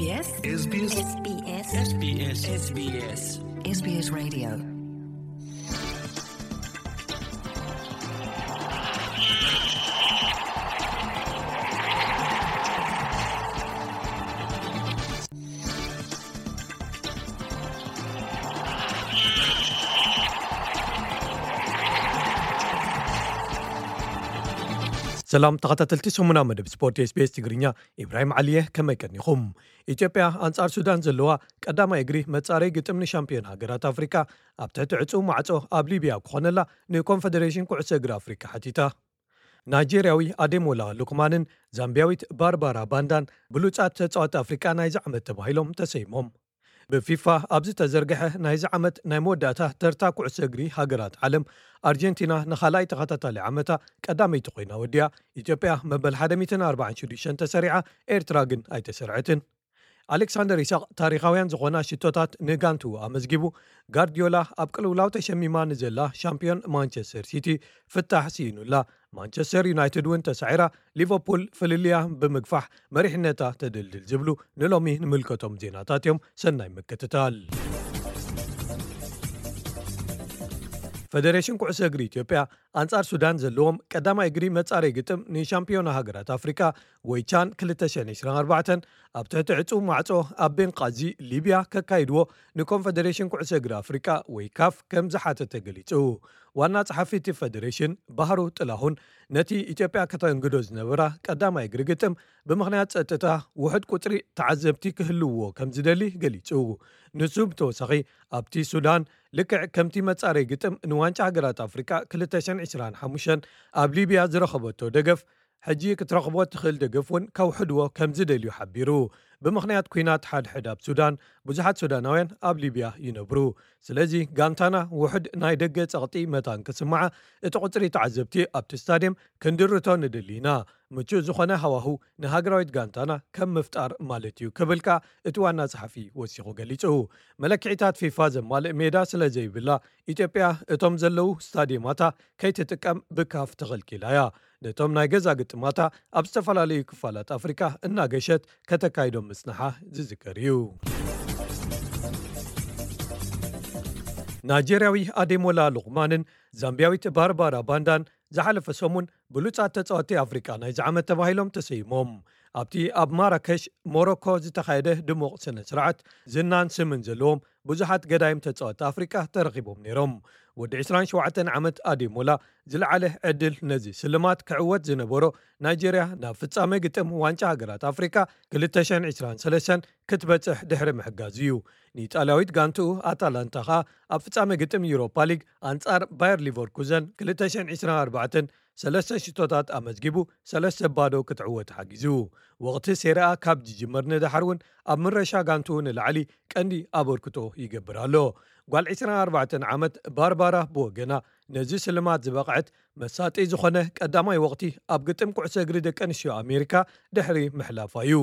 SBS SBS SBS SBS SBS Radio. ሰላም ተኸታተልቲ ሰሙና መደብ ስፖርት SBS ትግርኛ፣ ኢብራሂም ዓሊየ፣ ከመይ ቀኒኹም? ኢትዮጵያ ኣንጻር ሱዳን ዘለዋ ቀዳማይ እግሪ መጻረይ ግጥም ንሻምፒዮን ሃገራት ኣፍሪካ ኣብ ትሕቲ ዕጹው ማዕጾ ኣብ ሊብያ ክኾነላ ንኮንፈደሬሽን ኩዕሶ እግሪ ኣፍሪካ ሓቲታ። ናይጄርያዊ ኣዴሞላ ሉክማንን ዛምቢያዊት ባርባራ ባንዳን ብሉጻት ተጻወቲ ኣፍሪቃ ናይዚ ዓመት ተባሂሎም ተሰይሞም። ብፊፋ ኣብ ዝተዘርግሐ ናይዚ ዓመት ናይ መወዳእታ ተርታ ኩዕሶ እግሪ ሃገራት ዓለም፣ ኣርጀንቲና ንኻልኣይ ተኸታታሊ ዓመታ ቀዳመይቲ ኮይና ወዲያ። ኢትዮጵያ መበል ሓደ ሚእትን ኣርባዓን ሽዱሽተን ተሰሪዓ፣ ኤርትራ ግን ኣይተሰርዐትን። ኣሌክሳንደር ኢሳቕ ታሪኻውያን ዝኾና ሽቶታት ንጋንቱ ኣመዝጊቡ። ጋርዲዮላ ኣብ ቅልውላው ተሸሚማ ንዘላ ሻምፒዮን ማንቸስተር ሲቲ ፍታሕ ስኢኑላ። ማንቸስተር ዩናይትድ እውን ተሳዒራ፣ ሊቨርፑል ፍልልያ ብምግፋሕ መሪሕነታ ተደልድል ዝብሉ ንሎሚ ንምልከቶም ዜናታት እዮም። ሰናይ ምክትታል። ፈደሬሽን ኩዕሶ እግሪ ኢትዮጵያ ኣንጻር ሱዳን ዘለዎም ቀዳማይ እግሪ መጻረይ ግጥም ንሻምፒዮና ሃገራት ኣፍሪካ ወይ ቻን ክልተ ሽሕን ዕስራን ኣርባዕተን ኣብ ትሕቲ ዕጹው ማዕጾ ኣብ ቤንቃዚ ሊብያ ከካይድዎ ንኮንፈደሬሽን ኩዕሶ እግሪ ኣፍሪቃ ወይ ካፍ ከም ዝሓተተ ገሊጹ። ዋና ጸሓፊ እቲ ፈደሬሽን ባህሩ ጥላሁን ነቲ ኢትዮጵያ ከተንግዶ ዝነበራ ቀዳማይ እግሪ ግጥም ብምኽንያት ጸጥታ ውሑድ ቁጽሪ ተዓዘብቲ ክህልውዎ ከም ዝደሊ ገሊጹ። ንሱ ብተወሳኺ ኣብቲ ሱዳን ልክዕ ከምቲ መጻረይ ግጥም ንዋንጫ ሃገራት ኣፍሪቃ ክልተ ሽሕን ዕስራን ሓሙሽተን ኣብ ሊብያ ዝረኸበቶ ደገፍ ሕጂ ክትረኽቦ ትኽእል ደገፍ እውን ከውሕድዎ ከም ዝደልዩ ሓቢሩ። ብምኽንያት ኲናት ሓድሕድ ኣብ ሱዳን ብዙሓት ሱዳናውያን ኣብ ሊብያ ይነብሩ። ስለዚ ጋንታና ውሑድ ናይ ደገ ጸቕጢ መታን ክስምዓ እቲ ቁጽሪ ተዓዘብቲ ኣብቲ ስታድየም ክንድርቶ ንደሊ ኢና። ምቹእ ዝኾነ ሃዋሁ ንሃገራዊት ጋንታና ከም ምፍጣር ማለት እዩ ክብል ከኣ እቲ ዋና ጸሓፊ ወሲኹ ገሊጹ። መለክዒታት ፊፋ ዘማልእ ሜዳ ስለ ዘይብላ ኢትዮጵያ እቶም ዘለዉ ስታድየማታ ከይትጥቀም ብካፍ ተኸልኪላ እያ። ነቶም ናይ ገዛ ግጥማታ ኣብ ዝተፈላለዩ ክፋላት ኣፍሪካ እናገሸት ከተካይዶም ምጽንሓ ዝዝከር እዩ። ናይጀርያዊ ኣዴሞላ ሉቕማንን ዛምቢያዊት ባርባራ ባንዳን ዝሓለፈ ሰሙን ብሉጻት ተጻወቲ ኣፍሪቃ ናይዚ ዓመት ተባሂሎም ተሰይሞም። ኣብቲ ኣብ ማራከሽ ሞሮኮ ዝተኻየደ ድሙቕ ስነ ስርዓት ዝናን ስምን ዘለዎም ብዙሓት ገዳይም ተጻወቲ ኣፍሪቃ ተረኺቦም ነይሮም። ወዲ ዕስራን ሸውዓተን ዓመት ኣዴሞላ ዝለዓለ ዕድል ነዚ ስልማት ክዕወት ዝነበሮ ናይጀርያ ናብ ፍጻመ ግጥም ዋንጫ ሃገራት ኣፍሪቃ ክልተ ሽሕን ዕስራን ሰለስተን ክትበጽሕ ድሕሪ ምሕጋዝ እዩ። ንኢጣልያዊት ጋንትኡ ኣታላንታ ኸኣ ኣብ ፍጻመ ግጥም ዩሮፓ ሊግ ኣንጻር ባየር ሊቨርኩዘን ክልተ ሽሕን ዕስራን ኣርባዕተን ሰለስተ ሽቶታት ኣመዝጊቡ ሰለስተ ባዶ ክትዕወት ሓጊዙ። ወቕቲ ሴሪኣ ካብ ዝጅመር ንደሓር እውን ኣብ ምረሻ ጋንትኡ ንላዕሊ ቀንዲ ኣበርክቶ ይገብር ኣሎ። ጓል ዕስራን ኣርባዕተን ዓመት ባርባራ ብወገና ነዚ ስልማት ዝበቕዐት መሳጢ ዝኾነ ቀዳማይ ወቕቲ ኣብ ግጥም ኩዕሶ እግሪ ደቂ ኣንስትዮ ኣሜሪካ ድሕሪ ምሕላፋ እዩ።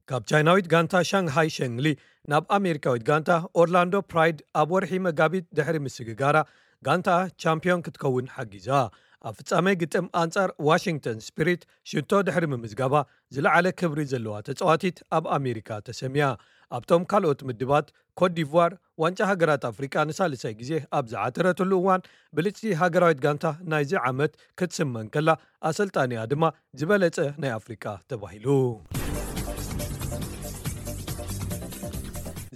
ካብ ቻይናዊት ጋንታ ሻንግሃይ ሸንግሊ ናብ ኣሜሪካዊት ጋንታ ኦርላንዶ ፕራይድ ኣብ ወርሒ መጋቢት ድሕሪ ምስግጋራ ጋንታ ቻምፒዮን ክትከውን ሓጊዛ። ኣብ ፍጻመ ግጥም ኣንጻር ዋሽንግተን ስፒሪት ሽቶ ድሕሪ ምምዝጋባ ዝለዓለ ክብሪ ዘለዋ ተጻዋቲት ኣብ ኣሜሪካ ተሰምያ። ኣብቶም ካልኦት ምድባት ኮት ዲቯር ዋንጫ ሃገራት ኣፍሪቃ ንሳልሳይ ግዜ ኣብ ዝዓተረትሉ እዋን ብልጽቲ ሃገራዊት ጋንታ ናይዚ ዓመት ክትስመ እንከላ ኣሰልጣኒኣ ድማ ዝበለጸ ናይ ኣፍሪቃ ተባሂሉ።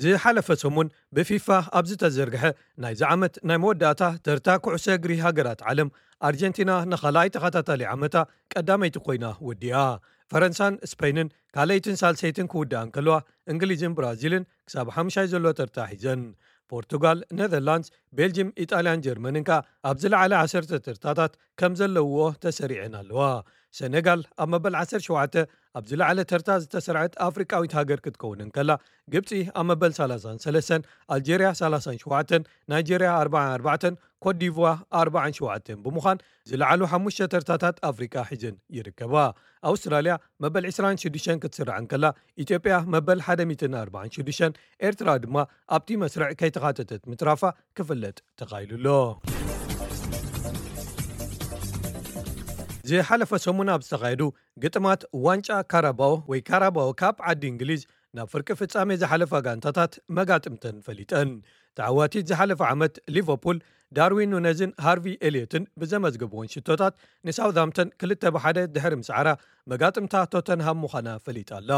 ዝሓለፈ ሰሙን ብፊፋ ኣብ ዝተዘርግሐ ናይዚ ዓመት ናይ መወዳእታ ተርታ ኩዕሶ እግሪ ሃገራት ዓለም ኣርጀንቲና ንኻልኣይ ተኸታታሊ ዓመታ ቀዳመይቲ ኮይና ወዲኣ። ፈረንሳን ስፔንን ካልኣይትን ሳልሰይትን ክውድኣ እንከለዋ እንግሊዝን ብራዚልን ክሳብ ሓምሻይ ዘሎ ተርታ ሒዘን። ፖርቱጋል፣ ኔዘርላንድስ፣ ቤልጅም፣ ኢጣልያን ጀርመንን ከኣ ኣብ ዝለዓለ ዓሰርተ ተርታታት ከም ዘለውዎ ተሰሪዐን ኣለዋ። ሰነጋል ኣብ መበል ዓሰርተ ሸውዓተ ኣብ ዝለዓለ ተርታ ዝተሰርዐት ኣፍሪቃዊት ሃገር ክትከውን እንከላ ግብጺ ኣብ መበል ሰላሳን ሰለስተን፣ ኣልጀርያ ሰላሳን ሸውዓተን፣ ናይጀርያ ኣርባዓን ኣርባዕተን፣ ኮት ዲቯር ኣርባዓን ሸውዓተን ብምዃን ዝለዓሉ ሓሙሽተ ተርታታት ኣፍሪቃ ሒዘን ይርከባ። ኣውስትራልያ መበል ዕስራን ሽዱሽተን ክትስራዕ እንከላ ኢትዮጵያ መበል ሓደ ሚእትን ኣርባዓን ሽዱሽተን፣ ኤርትራ ድማ ኣብቲ መስርዕ ከይተኻተተት ምትራፋ ክፍለጥ ተኻኢሉ ኣሎ። ዝሓለፈ ሰሙን ኣብ ዝተኻየዱ ግጥማት ዋንጫ ካራባኦ ወይ ካራባኦ ካፕ ዓዲ እንግሊዝ ናብ ፍርቂ ፍጻሜ ዝሓለፋ ጋንታታት መጋጥምተን ፈሊጠን። ተዓዋቲት ዝሓለፈ ዓመት ሊቨርፑል ዳርዊን ኑነዝን ሃርቪ ኤልዮትን ብዘመዝገብዎን ሽቶታት ንሳውዝሃምተን ክልተ ብሓደ ድሕሪ ምስዓራ፣ መጋጥምታ ቶተንሃም ምዃና ፈሊጣ ኣላ።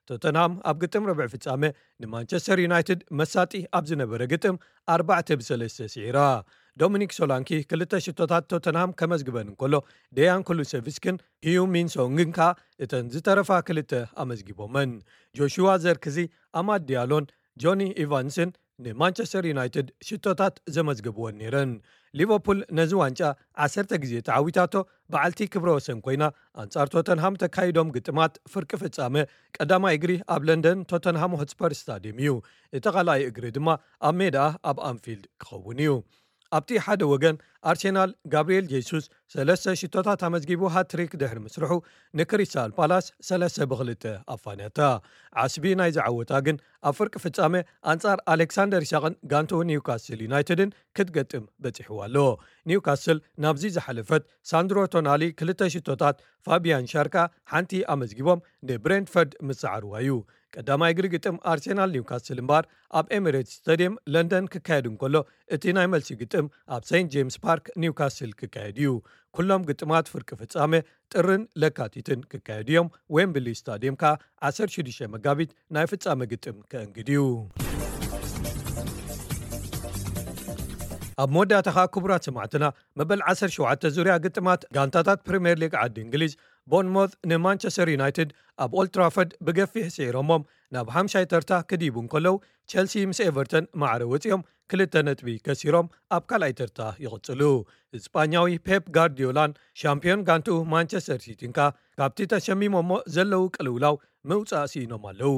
ቶተንሃም ኣብ ግጥም ርብዒ ፍጻመ ንማንቸስተር ዩናይትድ መሳጢ ኣብ ዝነበረ ግጥም ኣርባዕተ ብሰለስተ ስዒራ። ዶሚኒክ ሶላንኪ ክልተ ሽቶታት ቶተንሃም ከመዝግበን እንከሎ፣ ደያን ኩሉሰቪስክን ሂዩ ሚንሶንግን ከኣ እተን ዝተረፋ ክልተ ኣመዝጊቦመን። ጆሹዋ ዘርክዚ፣ ኣማድ ዲያሎን ጆኒ ኢቫንስን ንማንቸስተር ዩናይትድ ሽቶታት ዘመዝገብወን ነይረን። ሊቨርፑል ነዚ ዋንጫ ዓሰርተ ግዜ ተዓዊታቶ፣ በዓልቲ ክብረ ወሰን ኮይና፣ ኣንጻር ቶተንሃም ተካይዶም ግጥማት ፍርቂ ፍጻመ ቀዳማይ እግሪ ኣብ ለንደን ቶተንሃም ሆትስፐር ስታድየም እዩ። እቲ ካልኣይ እግሪ ድማ ኣብ ሜዳ ኣብ ኣንፊልድ ክኸውን እዩ። ኣብቲ ሓደ ወገን ኣርሴናል፣ ጋብርኤል ጄሱስ ሰለስተ ሽቶታት ኣመዝጊቡ ሃትሪክ ድሕሪ ምስርሑ፣ ንክሪስታል ፓላስ ሰለስተ ብክልተ ኣፋንያታ። ዓስቢ ናይዚ ዓወታ ግን ኣብ ፍርቂ ፍጻመ ኣንጻር ኣሌክሳንደር ኢሳቕን ጋንትኡ ኒውካስል ዩናይትድን ክትገጥም በጺሕዋ ኣሎ። ኒውካስል ናብዚ ዝሓለፈት ሳንድሮ ቶናሊ ክልተ ሽቶታት፣ ፋቢያን ሻርካ ሓንቲ ኣመዝጊቦም ንብሬንትፈርድ ምስዓርዋ እዩ። ቀዳማይ እግሪ ግጥም ኣርሴናል ኒውካስል እምበኣር ኣብ ኤሚሬትስ ስታድየም ለንደን ክካየድ እንከሎ፣ እቲ ናይ መልሲ ግጥም ኣብ ሴንት ጄምስ ፓርክ ኒውካስል ክካየድ እዩ። ኩሎም ግጥማት ፍርቂ ፍጻመ ጥርን ለካቲትን ክካየዱ እዮም። ዌምብሊ ስታድየም ከኣ ዓሰርተ ሽዱሽተ መጋቢት ናይ ፍጻመ ግጥም ከእንግድ እዩ። ኣብ መወዳእታ ከኣ ክቡራት ሰማዕትና፣ መበል ዓሰርተ ሸውዓተ ዙርያ ግጥማት ጋንታታት ፕሪምየር ሊግ ዓዲ እንግሊዝ፣ ቦርንሞዝ ንማንቸስተር ዩናይትድ ኣብ ኦልትራፎርድ ብገፊሕ ስዒሮሞም ናብ ሓምሻይ ተርታ ክድይቡ እንከለዉ፣ ቸልሲ ምስ ኤቨርተን ማዕረ ወጺኦም ክልተ ነጥቢ ከሲሮም ኣብ ካልኣይ ተርታ ይቕጽሉ። ስጳኛዊ ፔፕ ጋርዲዮላን ሻምፒዮን ጋንትኡ ማንቸስተር ሲቲን ከኣ ካብቲ ተሸሚሞሞ ዘለዉ ቅልውላው ምውጻእ ስኢኖም ኣለዉ።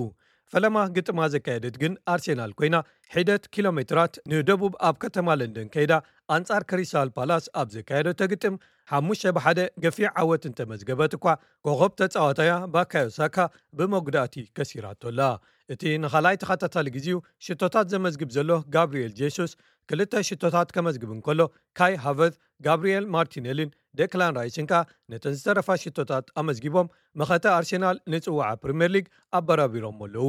ፈለማ ግጥማ ዘካየደት ግን ኣርሴናል ኮይና፣ ሒደት ኪሎ ሜትራት ንደቡብ ኣብ ከተማ ለንደን ከይዳ ኣንጻር ክሪስታል ፓላስ ኣብ ዘካየደቶ ግጥም ሓሙሽተ ብሓደ ገፊሕ ዓወት እንተመዝገበት እኳ፣ ኮኸብ ተጻዋታያ ባካዮ ሳካ ብመጉዳእቲ ከሲራቶ ኣላ። እቲ ንኻልኣይ ተኸታታሊ ግዜኡ ሽቶታት ዘመዝግብ ዘሎ ጋብርኤል ጄሱስ ክልተ ሽቶታት ከመዝግብ እንከሎ፣ ካይ ሃቨርት፣ ጋብርኤል ማርቲኔሊን ደክላን ራይስን ከኣ ነተን ዝተረፋ ሽቶታት ኣመዝጊቦም፣ መኸተ ኣርሴናል ንጽዋዓ ፕሪምየር ሊግ ኣበራቢሮሞ ኣለዉ።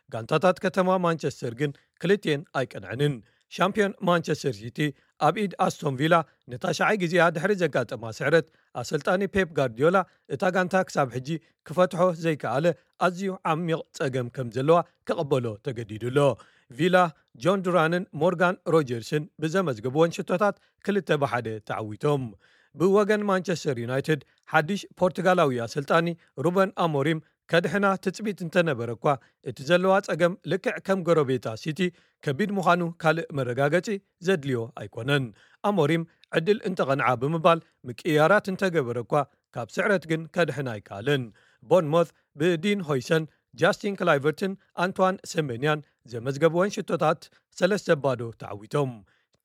ጋንታታት ከተማ ማንቸስተር ግን ክልቲኤን ኣይቀንዐንን። ሻምፒዮን ማንቸስተር ሲቲ ኣብ ኢድ ኣስቶን ቪላ ንታሽዓይ ግዜኣ ድሕሪ ዘጋጠማ ስዕረት፣ ኣሰልጣኒ ፔፕ ጋርዲዮላ እታ ጋንታ ክሳብ ሕጂ ክፈትሖ ዘይከኣለ ኣዝዩ ዓሚቕ ጸገም ከም ዘለዋ ክቕበሎ ተገዲዱ ኣሎ። ቪላ፣ ጆን ዱራንን ሞርጋን ሮጀርስን ብዘመዝገብወን ሽቶታት ክልተ ብሓደ ተዓዊቶም። ብወገን ማንቸስተር ዩናይትድ፣ ሓድሽ ፖርቱጋላዊ ኣሰልጣኒ ሩበን ኣሞሪም ከድሕና ትጽቢት እንተነበረ እኳ፣ እቲ ዘለዋ ጸገም ልክዕ ከም ጎረቤታ ሲቲ ከቢድ ምዃኑ ካልእ መረጋገጺ ዘድልዮ ኣይኮነን። ኣሞሪም ዕድል እንተቐንዓ ብምባል ምቅይያራት እንተገበረ እኳ፣ ካብ ስዕረት ግን ከድሕን ኣይከኣለን። ቦርንሞዝ ብዲን ሆይሰን፣ ጃስቲን ክላይቨርትን ኣንቷን ሴሜንያን ዘመዝገብወን ሽቶታት ሰለስተ ባዶ ተዓዊቶም።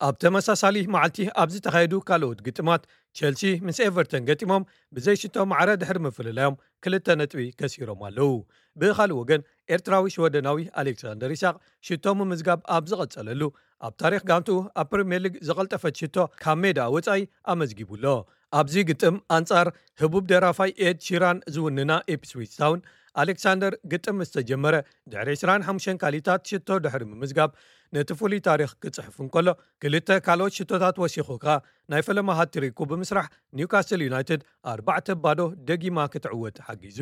ኣብ ተመሳሳሊ መዓልቲ ኣብ ዝተኻየዱ ካልኦት ግጥማት፣ ቸልሲ ምስ ኤቨርተን ገጢሞም ብዘይ ሽቶ ማዕረ ድሕሪ ምፍልላዮም ክልተ ነጥቢ ከሲሮም ኣለዉ። ብኻልእ ወገን፣ ኤርትራዊ ሽወደናዊ ኣሌክሳንደር ኢሳቕ ሽቶ ምምዝጋብ ኣብ ዝቐጸለሉ፣ ኣብ ታሪኽ ጋንትኡ ኣብ ፕሪምየር ሊግ ዝቐልጠፈት ሽቶ ካብ ሜዳ ወጻኢ ኣመዝጊቡ ኣሎ። ኣብዚ ግጥም ኣንጻር ህቡብ ደራፋይ ኤድ ሺራን ዝውንና ኢፕስዊች ታውን፣ ኣሌክሳንደር ግጥም ምስ ተጀመረ ድሕሪ ዕስራን ሓሙሽተን ካሊታት ሽቶ ድሕሪ ምምዝጋብ፣ ነቲ ፍሉይ ታሪኽ ክጽሕፍ እንከሎ፣ ክልተ ካልኦት ሽቶታት ወሲኹ ከኣ ናይ ፈለማ ሃትሪኩ ብምስራሕ፣ ኒውካስል ዩናይትድ ኣርባዕተ ባዶ ደጊማ ክትዕወት ሓጊዙ።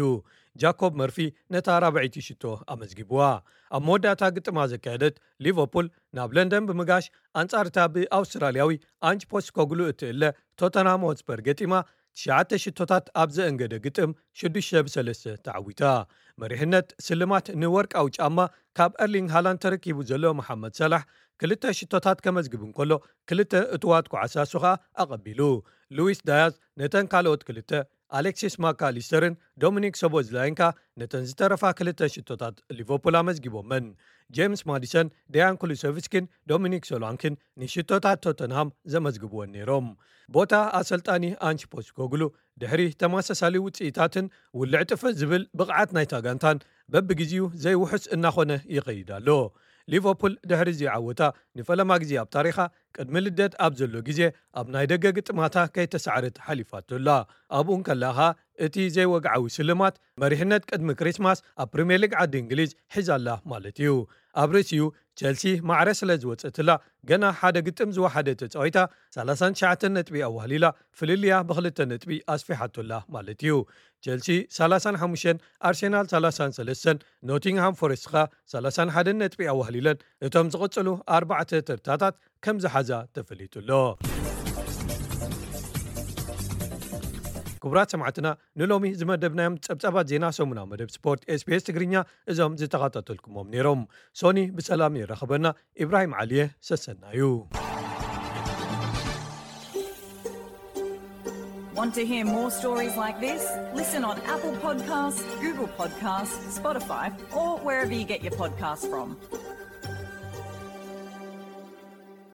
ጃኮብ መርፊ ነታ ራብዐይቲ ሽቶ ኣመዝጊብዋ። ኣብ መወዳእታ ግጥማ ዘካየደት ሊቨርፑል ናብ ለንደን ብምጋሽ፣ ኣንጻር እታ ብኣውስትራልያዊ ኣንጅ ፖስኮግሉ እትእለ ቶተንሃም ሆትስፐር ገጢማ፣ ትሽዓተ ሽቶታት ኣብ ዘእንገደ ግጥም ሽዱሽተ ብሰለስተ ተዓዊታ። መሪሕነት ስልማት ንወርቃዊ ጫማ ካብ ኤርሊንግ ሃላንድ ተረኪቡ ዘሎ መሓመድ ሰላሕ ክልተ ሽቶታት ከመዝግብ እንከሎ፣ ክልተ እቱዋት ኳዕሳ እሱ ኸኣ ኣቐቢሉ። ሉዊስ ዳያዝ ነተን ካልኦት ክልተ፣ ኣሌክሲስ ማካሊስተርን ዶሚኒክ ሶቦዝላይን ከኣ ነተን ዝተረፋ ክልተ ሽቶታት ሊቨርፑል ኣመዝጊቦመን። ጄምስ ማዲሰን፣ ደያን ኩሉሰቭስኪን ዶሚኒክ ሶላንኪን ንሽቶታት ቶተንሃም ዘመዝግብወን ነይሮም። ቦታ ኣሰልጣኒ ኣንጅ ፖስኮግሉ ድሕሪ ተመሳሳሊ ውጽኢታትን ውልዕ ጥፍእ ዝብል ብቕዓት ናይታ ጋንታን በብግዜኡ ዘይውሑስ እናኾነ ይኸይድ ኣሎ። ሊቨርፑል ድሕሪ እዚ ዓወታ ንፈለማ ግዜ ኣብ ታሪኻ ቅድሚ ልደት ኣብ ዘሎ ግዜ ኣብ ናይ ደገ ግጥማታ ከይተሳዕረት ሓሊፋቶ ኣላ። ኣብኡ እንከላ ኸኣ እቲ ዘይወግዓዊ ስልማት መሪሕነት ቅድሚ ክሪስማስ ኣብ ፕሪምየር ሊግ ዓዲ እንግሊዝ ሒዛላ ማለት እዩ። ኣብ ርእሲኡ ቸልሲ ማዕረ ስለ ዝወጸትላ ገና ሓደ ግጥም ዝወሓደ ተጻዊታ ሰላሳን ትሽዓተን ነጥቢ ኣዋህሊላ ፍልልያ ብክልተ ነጥቢ ኣስፊሓቶላ ማለት እዩ። ቸልሲ ሰላሳን ሓሙሽተን፣ ኣርሴናል ሰላሳን ሰለስተን፣ ኖቲንግሃም ፎረስት ኸኣ ሰላሳን ሓደን ነጥቢ ኣዋህሊለን እቶም ዝቕጽሉ ኣርባዕተ ተርታታት ከም ዝሓዛ ተፈሊጡ ኣሎ። ክቡራት ሰማዕትና ንሎሚ ዝመደብናዮም ጸብጻባት ዜና ሰሙናዊ መደብ ስፖርት ኤስቢኤስ ትግርኛ እዞም ዝተኸታተልኩሞም ነይሮም። ሶኒ ብሰላም የራኽበና። ኢብራሂም ዓሊየ ሰሰናዩ። Want to hear more stories like this? Listen on Apple Podcasts, Google Podcasts, Spotify, or wherever you get your podcasts from.